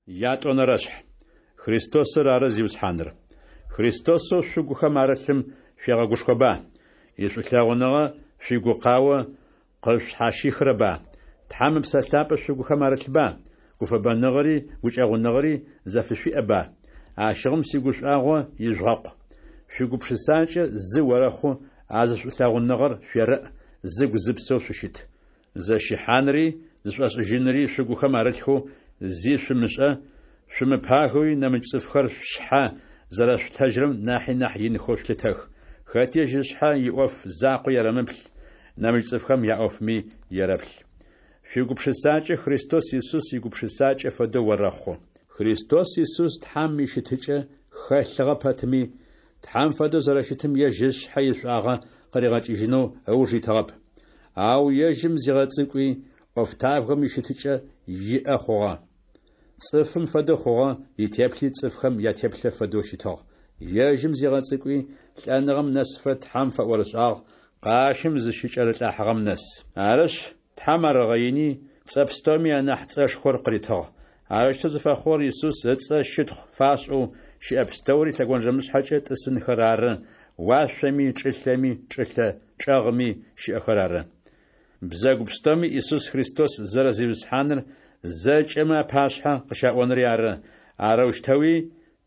Ятӏонэрэшъхь. Христосыр ары Зиусхьаныр. Христосэу шъугухэм арылъым шъуегъэгушхоба? Ишӏулъэгъуныгъэ шъуигукъао къышъушъхьащихрэба? Тхьэм Ыпсэ Лъапӏэ шъугухэм арылъба? Гуфэбэныгъэри гукӏэгъуныгъэри зэфышъуиӏэба? Ащыгъум сигушӏуагъо ижъугъэкъу. Шъуигупшысакӏэ зы орэхъу, а зы шӏулъэгъуныгъэр шъуерэӏ, зыгу-зыпсэу шъущыт. Зэщыхьанри зышӏошӏыжьынри шъугухэм арылъхэу зи шъумышӏэ, шъумыпагэуи нэмыкӏ цӏыфхэр шъушъхьэ зэрэшъулъытэжьрэм нахьи нахь инхэу шъулъытэх. Хэти ежь ышъхьэ иӏоф закъо ерэмыплъ, нэмыкӏ цӏыфхэм яӏофми ерэплъ. Шъуигупшысакӏэ Христос Исус игупшысакӏэ фэдэу орэхъу. Христос Исус Тхьэм ищытыкӏэ хэлъыгъэ пэтми, Тхьэм фэдэу зэрэщытым ежь ышъхьэ ишӏуагъэ къыригъэкӏыжьынэу ыуж итыгъэп. Ау ежьым зигъэцӏыкӏуи, ӏофтабгэм ищытыкӏэ иӏэ хъугъэ. Цӏыфым фэдэу хъугъэ, итеплъи цӏыфхэм ятеплъэ фэдэу щытыгъ. Ежьым зигъэцӏыкӏуи, лӏэныгъэм нэсыфэ Тхьэм фэӏорышӏагъ, къащым зыщыкӏэрылӏыхьагъэм нэс. Арышъ, Тхьэм ар ыгъэини, цӏэ пстэуми анахь цӏэшхор къыритыгъ. Арэущтэу зыфэхъугъэр Исус ыцӏэ щытхъу фашӏэу, щыӏэ пстэури лъэгонджэмышъхьэкӏэ тӏысынхэр ары, уашъоми, чӏылъэми, чӏылъэ чӏэгъми щыӏэхэр ары. Бзэгу пстэуми Исус Христос зэрэ Зиусхьаныр зэкӏэмэ апашъхьэ къыщаӏонри ары, арэущтэуи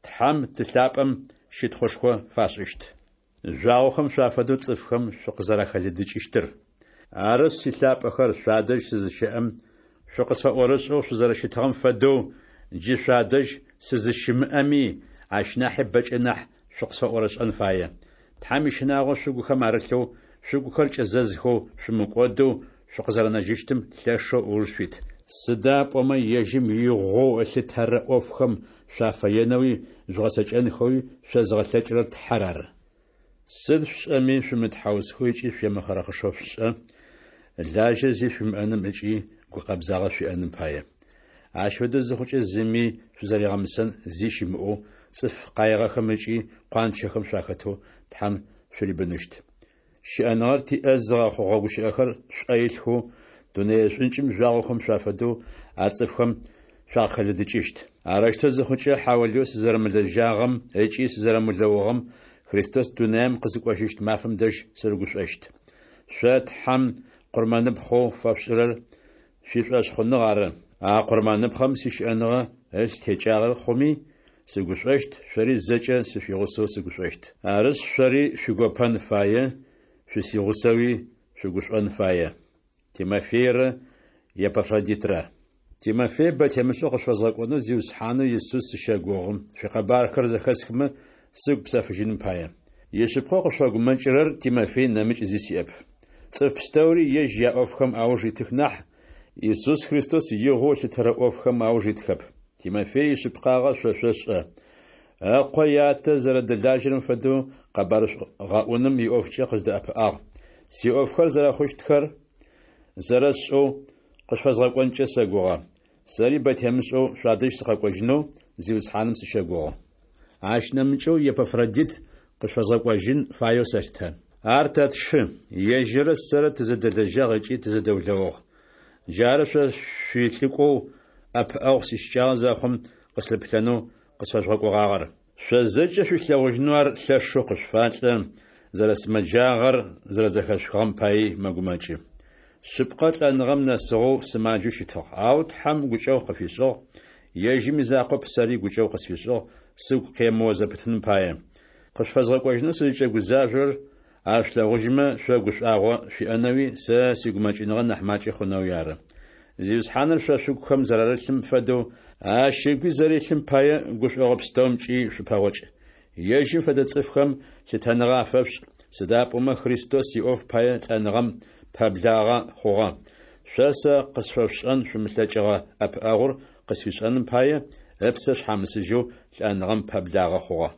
Тхьэм Ты лъапӏэм щытхъушхо фашӏыщт. Жъуагъохэм шъуафэдэу цӏыфхэм шъукъызэрэхэлыдыкӏыщтыр. Арышъ, силъапӏэхэр, шъуадэжь сызыщэӏэм, шъукъысфэӏорышӏэу шъузэрэщытыгъэм фэдэу, джы шъуадэжь сызыщымыӏэми, ащ нахьи бэкӏэ нахь шъукъысфэӏорышӏэн фае. Тхьэм ищынагъо шъугухэм арылъэу, шъугухэр кӏэзэзхэу, шъумыкӏодэу шъукъызэрэнэжьыщтым лъэшэу ыуж шъуит. Сыда пӏомэ ежьым игъоу ылъытэрэ ӏофхэм шъуафэенэуи жъугъэцэкӏэнхэуи шъозыгъэлъэкӏырэр Тхьэр ары. Сыд шъушӏэми, шъумытхьаусхэу ыкӏи шъуемыхъырэхъышэу шъушӏэ, лажьэ зи шъуимыӏэным ыкӏи гукъэбзагъэ шъуиӏэным пае. Ащ фэдэу зыхъукӏэ зыми шъузэригъэмысэн зи щымыӏэу, цӏыф къаигъэхэм ыкӏи къуанчэхэм шъуахэтэу Тхьэм шъурибыныщт. Щыӏэныгъэр тиӏэ зыгъэхъугъэ гущыӏэхэр шъуӏэ илъхэу, дунэе шӏункӏым жъуагъохэм шъуафэдэу а цӏыфхэм шъуакъыхэлыдыкӏыщт. Арэущтэу зыхъукӏэ, хьаулыеу сызэрэмылэжьагъэм ыкӏи сызэрэмылэугъэм Христос дунаем къызыкӏожьыщт мафэм дэжь сырыгушӏощт. Шъо Тхьэм къурмэныпхъэу фэшъушӏырэр шъуишӏошъхъуныгъ ары. А къурмэныпхъэм сищыӏэныгъэ ылъ текӏагъэ хъуми, сыгушӏощт, шъори зэкӏэ сышъуигъусэу сыгушӏощт. Арышъ, шъори шъуигопэн фае, шъусигъусэуи шъугушӏон фае. Тимофейрэ Епафродитрэ. Тимофей бэ темышӏэу къышъуфэзгъэкӏонэу Зиусхьанэу Исус сыщэгугъы, шъуикъэбархэр зэхэсхымэ, сыгу псэфыжьыным пае. Ишъыпкъэу къышъуфэгумэкӏырэр Тимофей нэмыкӏ зи сиӏэп. Цӏыф пстэури ежь яӏофхэм ауж итых нахь, Исус Христос игъоу ылъытэрэ ӏофхэм ауж итхэп. Тимофей ишъыпкъагъэ шъо шъошӏэ. Ыкъо ятэ зэрэдэлажьэрэм фэдэу къэбарышӏу гъэӏуным иӏофкӏэ къыздэӏэпыӏагъ. Сиӏофхэр зэрэхъущтхэр зэрэсшӏэу, къышъуфэзгъэкӏонкӏэ сэгугъэ. Сэри бэ темышӏэу шъуадэжь сыкъэкӏожьынэу Зиусхьаным сыщэгугъы. Ащ нэмыкӏэу Епафродит къышъуфэзгъэкӏожьын фаеу сэлъытэ. Ар тэ тшы, ежьыррэ сэрэ тызэдэлэжьагъ ыкӏи тызэдэулэугъ. Джары шъо шъуилӏыкӏоу ӏэпыӏэгъу сищыкӏагъэ зэхъум къыслъыплъэнэу къысфэжъугъэкӏогъагъэр. Шъо зэкӏэ шъуилъэгъужьынэу ар лъэшэу къышъуфалӏэ, зэрэсымэджагъэр зэрэзэхэшъухыгъэм паий мэгумэкӏы. Шъыпкъэ, лӏэныгъэм нэсыгъэу сымаджэу щытыгъ, ау Тхьэм гукӏэгъу къыфишӏыгъ, ежьым изакъоп, сэри гукӏэгъу къысфишӏыгъ, сыгу къемыо зэпытыным пае. Къышъуфэзгъэкӏожьынэу сызкӏэгузажъорэр ар шъулъэгъужьымэ, шъо гушӏуагъо шъуиӏэнэуи, сэ сигумэкӏыныгъэ нахь макӏэ хъунэуи ары. Зиусхьаныр шъо шъугухэм зэрарылъым фэдэу, ащ ыгуи зэрилъым пае гушӏогъо пстэумкӏи шъупэгъокӏ. Ежьым фэдэ цӏыфхэм лъытэныгъэ афэшъушӏ, сыда пӏомэ Христос иӏоф пае лӏэныгъэм пэблагъэ хъугъэ. Шъо сэ къысфэшъушӏэн шъумылъэкӏыгъэ ӏэпыӏэгъур къысфишӏэным пае, ыпсэ шъхьамысыжьэу лӏэныгъэм пэблагъэ хъугъэ.